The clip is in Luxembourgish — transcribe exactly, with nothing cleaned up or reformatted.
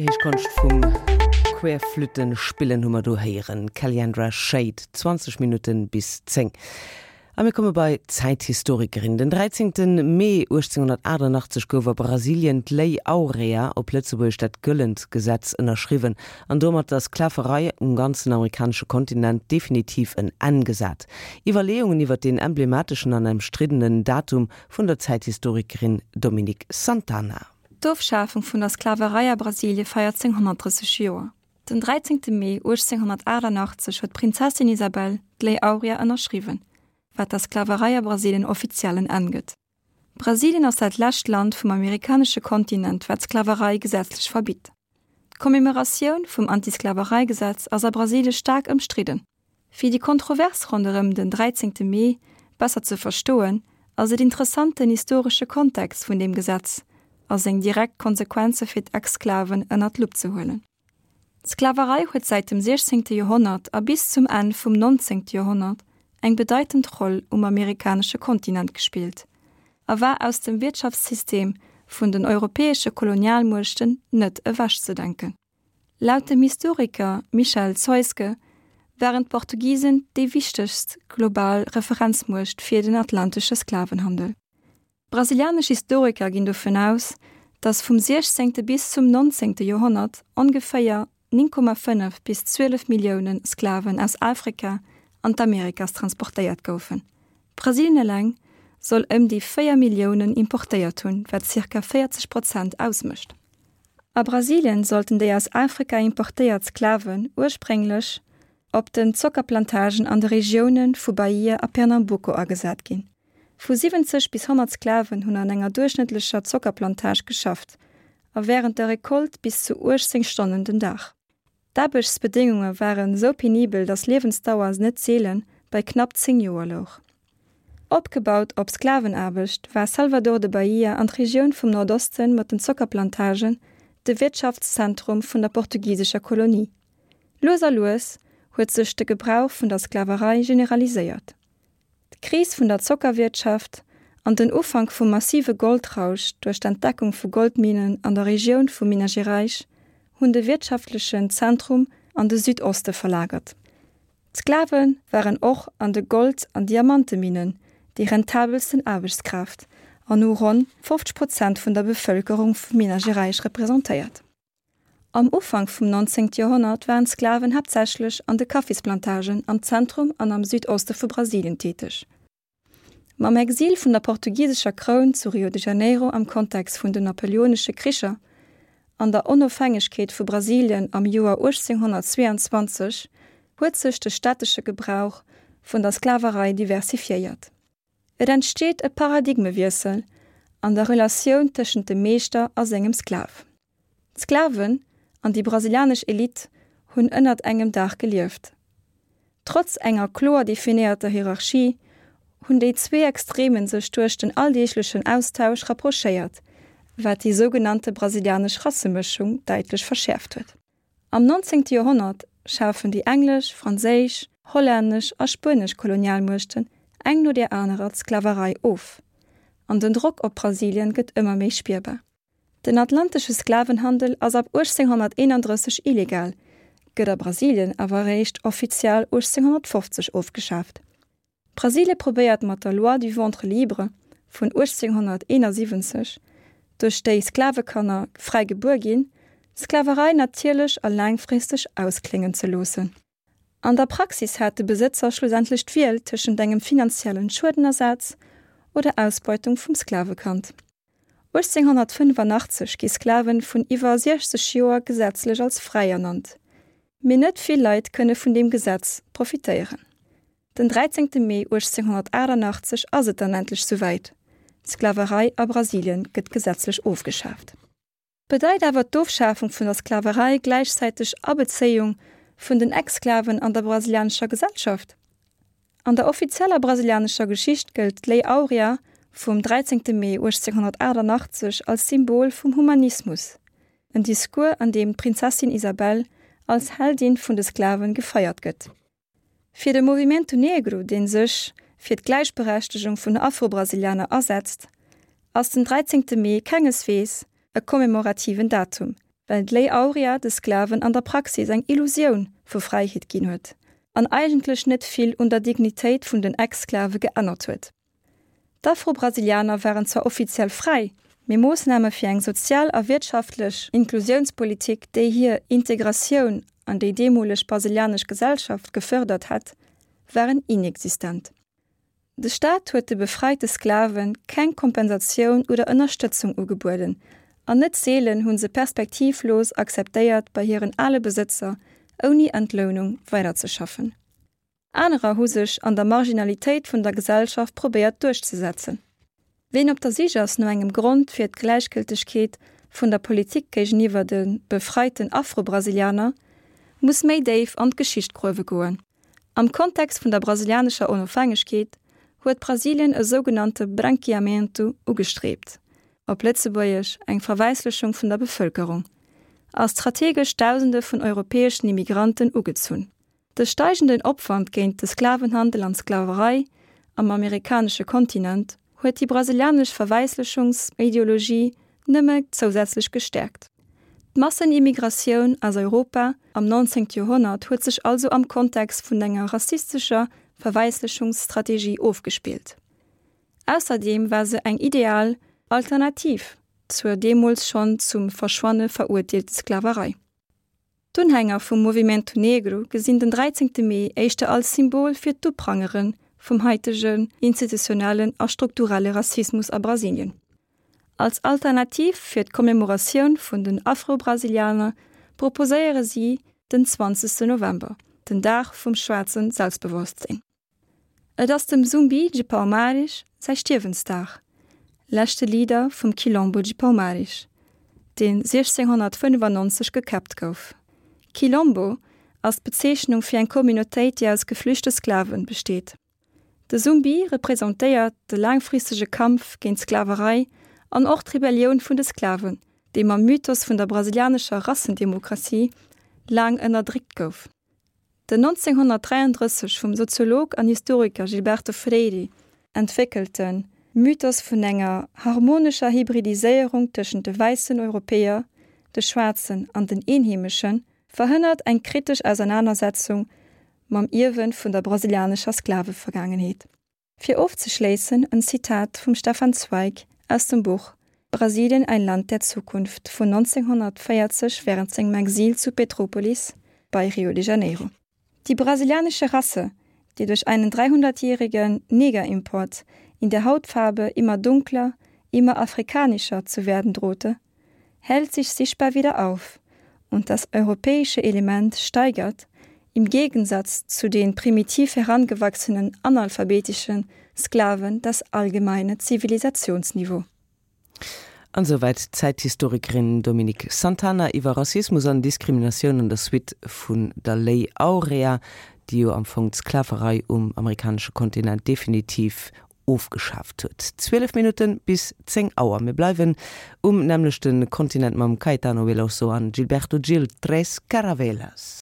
Héich Konscht vum Querflüttenspillen hu mer do héieren. Calliandra Shade, zwanzeg Minutten bis zéng. A mir komme bei d'Zäithistorikerin. Den dräizéngte Mee uechtzénghonnertachtannachtzeg gouf a Brasilien d'Lei Áurea, op Lëtzebuergesch dat Gëllent Gesetz, ënnerschriwwen an domat der Sklaverei um ganzen amerikanesche Kontinent definitiv en Enn gesat. Iwwerleeungen iwwer deen emblemateschen an ëmstriddenen Datum vun der Zäithistorikerin Dominique Santana. D'Ofschafung vun der Sklaverei a Brasilie feiert seng honnertdrësseg Joer. Den dräizéngte Mee uechtzénghonnertaachtannachtzeg huet d'Prinzessin Isabel d'Lei Áurea ënnerschriwwen, wat der Sklaverei a Brasilien offiziell en Enn gëtt. Brasilien ass dat lescht Land vum amerikanesche Kontinent, wat d'Sklaverei gesetzlech verbitt. D'Commemoratioun vum Anti-Sklaverei-Gesetz ass a Brasilie staark ëmstridden. Fir déi Kontrovers ronderëm den dräizéngte Mee besser ze verstoen, ass et interessant den historesche Kontext vun deem Gesetz a seng direkt Konsequenze fir d'Exsklaven ënnert d'Lupp ze huelen. D'Sklaverei huet säit dem siechzéngte Joerhonnert a bis zum Enn vum nonzéngte Joerhonnert eng bedeitend Roll um amerikanesche Kontinent gespillt a war aus dem Wirtschaftssystem vun den europäesche Kolonialmuechten net ewechzedenken. Laut dem Historiker Michel Zeuske waren d'Portugisen déi wichtegst global Referenzmuecht fir den atlantesche Sklavenhandel. Brasilianesch Historiker ginn dovun aus, datt vum siechzéngte bis zum nonzéngte Joerhonnert ongeféier néng Komma fënnef bis zwielef Millioune Sklaven aus Afrika an d'Amerikas transportéiert goufen. Brasilien eleng soll ëm déi véier Milliounen importéiert hunn, wat zirka véierzeg Prozent ausmécht. A Brasilien sollten déi aus Afrika importéiert Sklaven ursprénglech op den Zockerplantagen an de Regioune vu Bahia a Pernambuco agesat ginn. Vu siwwenzeg bis honnert Sklaven hunn an enger duerchschnëttlecher Zockerplantage geschafft, a wärend der Recolte bis zu uechtzéng Stonnen den Dag. D'Aarbechtsbedéngunge waren esou penibel, datt d'Liewensdauer net seele bei knapp zéng Joer louch. Opgebaut op Sklavenaarbecht war Salvador de Bahia an d'Regioun vum Nordoste mat den Zockerplantagen de Wirtschaftszentrum vun der portugisescher Kolonie. Lues a lues huet sech de Gebrauch vun der Sklaverei generaliséiert. D'Kris vun der Zockerwirtschaft an den Ufank vum massive Goldrausch duerch d'Entdeckung vu Goldminen an der Regioun vu Minas Gerais hunn de wirtschaftlechen Zentrum an de Südoste verlagert. D'Sklave waren och an de Gold an Diamanteminnen déi rentabelsten Aarbechtskraaft an hu ronn fofzeg Prozent vun der Bevëlkerung vu Minas Gerais representéiert. Am Ufank vum nonzéngte Joerhonnert waren d'Sklaven haaptsächlech an de Kaffisplantagen am Zentrum an am Südoste vu Brasilien täteg. Mam Exil vun der portugisescher Kroun zu Rio de Janeiro am Kontext vun den Napoleonesche Kricher an der Onofhängegkeet vu Brasilien am Joer uechtzénghonnertzweeanzwanzeg huet sech de stättesche Gebrauch vun der Sklaverei diversifiéiert. Et entsteet e Paradigmewiessel an der Relatioun tëschent dem Meeschter a sengem Sklav. D'Sklaven an déi brasilianesch Elite hunn ënnert engem Daach gelieft. Trotz enger kloer definéierter Hierarchie hunn déi zwee Extremen sech duerch den alldeeglechen Austausch rapprochéiert, wat déi sougenannte brasilianesch Rassemëschung däitlech verschäerft huet. Am nonzéngte Joerhonnert schafen déi englesch, franséisch, hollännesch a spuenesch Kolonialmuechten eng no där anerer d'Sklaverei of, an den Drock op Brasilien gëtt ëmmer méi spierbar. Den atlantesche Sklavenhandel ass ab uechtzénghonnerteenandrësseg illegal, gëtt a Brasilien awer eréischt offiziell uechtzénghonnertfofzeg ofgeschaaft. Brasilie probéiert mat der Loi du ventre libre vun uechtzénghonnerteenasiwwenzeg, duerch déi Sklavekanner fräi gebuer ginn, d'Sklaverei natierlech a laangfristeg auskléngen ze loossen. An der Praxis hat de Besëtzer schlussendlech d'Wiel tëschent engem finanziellen Schuedenersaz oder Ausbeutung vum Sklavekand. uechtzénghonnertfënnefanachtzeg gi Sklave vun iwwer siechzeg Joer gesetzlech als fräi ernannt. Mee net vill Leit kënne vun deem Gesetz profitéieren. Den dräizéngte Mee uechtzénghonnertaachtanachtzeg ass et dann endlech souwäit, D'Sklaverei a Brasilien gëtt gesetzlech ofgeschaaft. Bedeit awer d'Ofschafung vun der Sklaverei gläichzäiteg Abezéiung vun den Ex-Sklaven an der brasilianescher Gesellschaft? An der offizieller brasilianescher Geschicht gëllt d'Lei Áurea vum dräizéngte Mee uechtzénghonnertaachtanachtzeg als Symbol vum Humanismus, en Discours an deem d'Prinzessin Isabel als Heldin vun de Sklaven gefeiert gëtt. Fir de Movimento Negro, dee sech fir d'Gläichberechtegung vun Afro-Brasilianer asetzt, ass den dräizéngte Mee kengeswees e commemorativen Datum, Well d'Lei Aurea de Sklaven an der Praxis eng Illusioun vu Fräiheet ginn huet, an eigentlech net vill un der Dignitéit vun den Ex-Sklave geännert huet. D'Afro-Brasilianer waren zwar offiziell fräi, mee Moossname fir eng sozial a wirtschaftlech Inklusiounspolitik, déi hir Integratioun an déi deemoleg brasilianesch Gesellschaft gefërdert hätt, waren inexistent. De Staat huet de befreite Sklave keng Kompensatioun oder Ënnerstëtzung ugebueden, an net seelen hu se perspektivlos akzeptéiert, bei hiren ale Besëtzer ouni Entlounung weiderzeschaffen. Anerer hu sech an der Marginalitéit vun der Gesellschaft probéiert duerchzesetzen. Ween op der Sich ass no engem Grond fir d'Gläichgëltegkeet vun der Politik géigeniwwer de befreiten Afro-Brasilianer, muss méi déif an d'Geschicht gruewe goen. Am Kontext vun der brasilianescher Onofhängegkeet huet Brasilien e sougenannte Branqueamento ugestrieft, op Lëtzebuergesch eng Verwäisslechung vun der Bevëlkerung, a strategesch Dausende vun europäeschen Immigranten ugezunn. De steigenden Opwand géint de Sklavenhandel an d'Sklaverei am amerikanesche Kontinent huet déi brasilianesch Verwäisslechungsideologie nëmme zousätzlech gestäerkt. D'Massenimmigratioun aus Europa am neunzehnte Joerhonnert huet sech also am Kontext vun enger rassistescher Verwäisslechungsstrategie ofgespillt. Ausserdeem war se eng ideal Alternativ zur deemools schonn zum Verschwanne verurteelter Sklaverei. D'Unhänger vum Movimento Negro gesinn den dräizéngte Mee éischter als Symbol fir d'Uprangere vum haitegen institutionellen a strukturelle Rassismus a Brasilien. Als Alternativ fir d'Commemoratioun vun den Afro-Brasilianer proposéiere si den zwanzegsten November, den Dag vum schwaarze Selbstbewosstsinn. Et ass dem Zumbi de Palmares säi Stierwensdag, leschte Leader vum Quilombo de Palmares, deen siechzénghonnertfënnefannonzeg gekäppt gouf. Quilombo ass d'Bezeechnung fir eng Communautéit, déi aus geflüchte Sklaven besteet. De Zumbi representéiert de laangfristege Kampf géint d'Sklaverei an och d'Rebellioun vun de Sklaven, déi mam Mythos vun der brasilianescher Rassendemokratie laang ënnerdréckt gouf. Den nonzénghonnertdräiandrësseg vum Soziolog an Historiker Gilberto Freyre entwéckelte Mythos vun enger harmonescher Hybridiséierung tëschent de wäissen Europäer, de Schwaarzen an den Eenheemeschen, verhënnert eng kritesch Ausernanersetzung mam Ierwe vun der brasilianescher Sklavevergaangenheet. Fir ofzeschléissen en Zitat vum Stefan Zweig aus dem Buch Brasilien, ein Land der Zukunft vun nonzénghonnertvéierzeg wärend sengem Exil zu Petrópolis bei Rio de Janeiro. Die brasilianische Rasse, die durch einen dreihundertjährigen Negerimport in der Hautfarbe immer dunkler, immer afrikanischer zu werden drohte, hellt sich sichtbar wieder auf und das europäische Element steigert, im Gegensatz zu den primitiv herangewachsenen analphabetischen Sklaven das allgemeine Zivilisationsniveau. An souwäit d'Zäithistorikerin Dominique Santana iwwer Rassismus an Diskriminatioun an der Suite vun der Lei Aurea, déi jo am Fong d'Sklaverei um amerikanesche Kontinent definitiv ofgeschaaft huet. Zwielef Minutten bis zéng Auer. Mir bleiwen um nämmlechte Kontinent mam Caetano Veloso an Gilberto Gil, Três Caravelas.